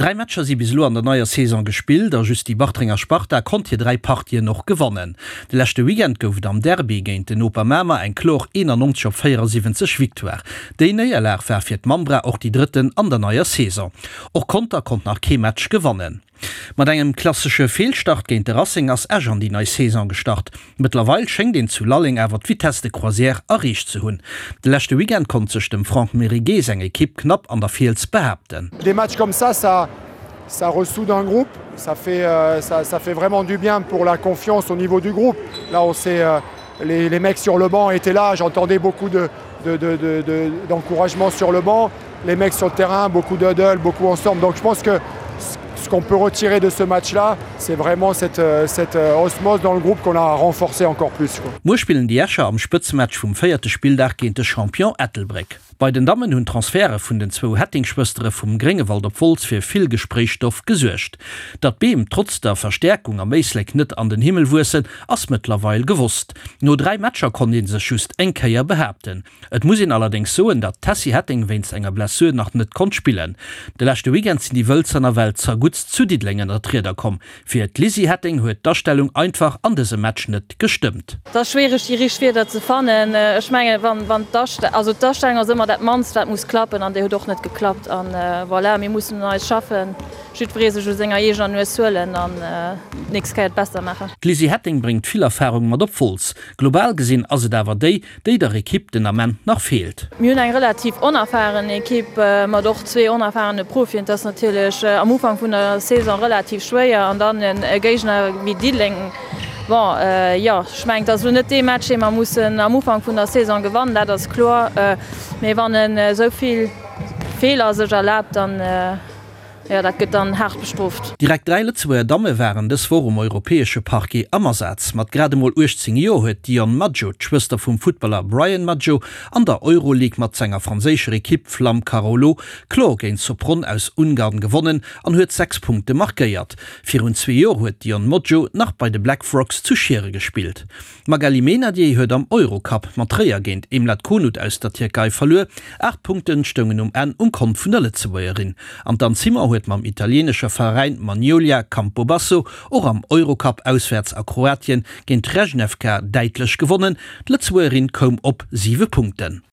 Dräi Matcher si bis elo an der neier Saison gespillt a just déi Bartrenger Sparta konnt hir 3 Partien och gewannen. De leschte Weekend gouf et am Derby géint den Noper Mamer eng kloer 91 op 74 Victoire. Déi Néierlag war fir d'Mambra och déi drëtten an der neier Saison. Och Conter konnt nach kee Match gewannen. Mat engem klassesche Feelstart géint de Racing ass Esch an déi nei Saison gestart. Mëttlerweil schéngt een zu Lalleng awer d'Vitesse de croisière erreecht ze hunn. De leschte Weekend konnt sech dem Franck Meriguet seng Ekipp knapp an der Fiels behaapten. Des matchs comme ça, ça ça ressoude un groupe, ça fait ça ça fait vraiment du bien pour la confiance au niveau du groupe. Là on s'est les les mecs sur le banc étaient là, j'entendais beaucoup de de de de de d'encouragement sur le banc, les mecs sur le terrain, beaucoup de huddle, beaucoup ensemble. Donc je pense que ce qu'on peut retirer de ce match là, c'est vraiment cette cette osmose dans le groupe qu'on a renforcé encore plus quoi. Muer spillen déi Escher am Spëtzematch vum véierte Spilldag géint de Champion Ettelbréck. Bei den Dammen hunn d'Transferte vun den zwou Hetting-Schwëstere vum Gréngewald op Wolz fir vill Gespréichsstoff gesuergt. Datt d'Beem trotz der Verstäerkung am Éislek net an den Himmel wuessen, ass mëttlerweil gewosst. No 3 Matcher konnt ee sech just eng Kéier behaapten. Et muss een allerdéngs soen, datt d'Tessy Hetting wéinst enger Blessur nach net konnt spillen. De leschte Weekend sinn déi Wëlzer nawell zerguttst zu Diddeleng ënner d'Rieder komm. Fir d'Lizzy Hetting huet d'Astellung einfach an dësem Match net gestëmmt. Et ass schwiereg déi richteg Wierder ze fannen. Ech mengen, wann, wann d'Astellung, also d'Astellung ass ëmmer dat mannst wat muss klappen an déi huet och net geklappt. An voilà, mir mussen un eis schaffen, jiddweree sech u senger eegener Nues huelen an d'nächst Kéier et besser maachen. D'Lizzy Hetting bréngt vill Erfarung mat op Wolz. Global gesinn ass et awer déi, déi der Ekipp den Ament nach feelt. Mir hunn eng relativ onerfahren Ekipp mat och zwee onerfahrene Profien. Et ass natierlech am Ufank vun der Saison relativ schwéier an dann e Géigner wéi Diddeleng. Bon, jo, ech mengen, et ass elo net dee Match, dee mer mussen am Ufank vun der Saison gewannen, dat ass kloer. Mee wann en esou vill Feeler sech erlaabt, dann. Jo, dat gëtt dann haart bestrooft. Direkt 3 Lëtzebuerger Damme waren dës Woch um europäesche Parquet am Asaz. Mat grad emol 18 Joer huet d'Dionne Maggio, d'Schwëster vum Futtballer Brian Maggio, an der Euroleague mat senger franséischer Ekipp Flamme Carolo kloer géint Sopron aus Ungarn gewonnen an huet 6 Punkte markéiert. Virun zwee Joer huet d'Dionne Moggio nach bei de Black Frogs zu Schiere gespillt. D'Magali Meynadier huet am Eurocup mat Tréier géint Emlat Konut aus der Tierkei verluer. 8 Punkte stoungen um Enn um Kont vun der Lëtzebuergerin. An d'Anne Simon huet mam italieenescher Veräin Magnolia Campobasso och am Eurocup auswäerts a Kroatien géint Rejnevka däitlech gewonnen. D'Lëtzebuergerin koum op 7 Punkten.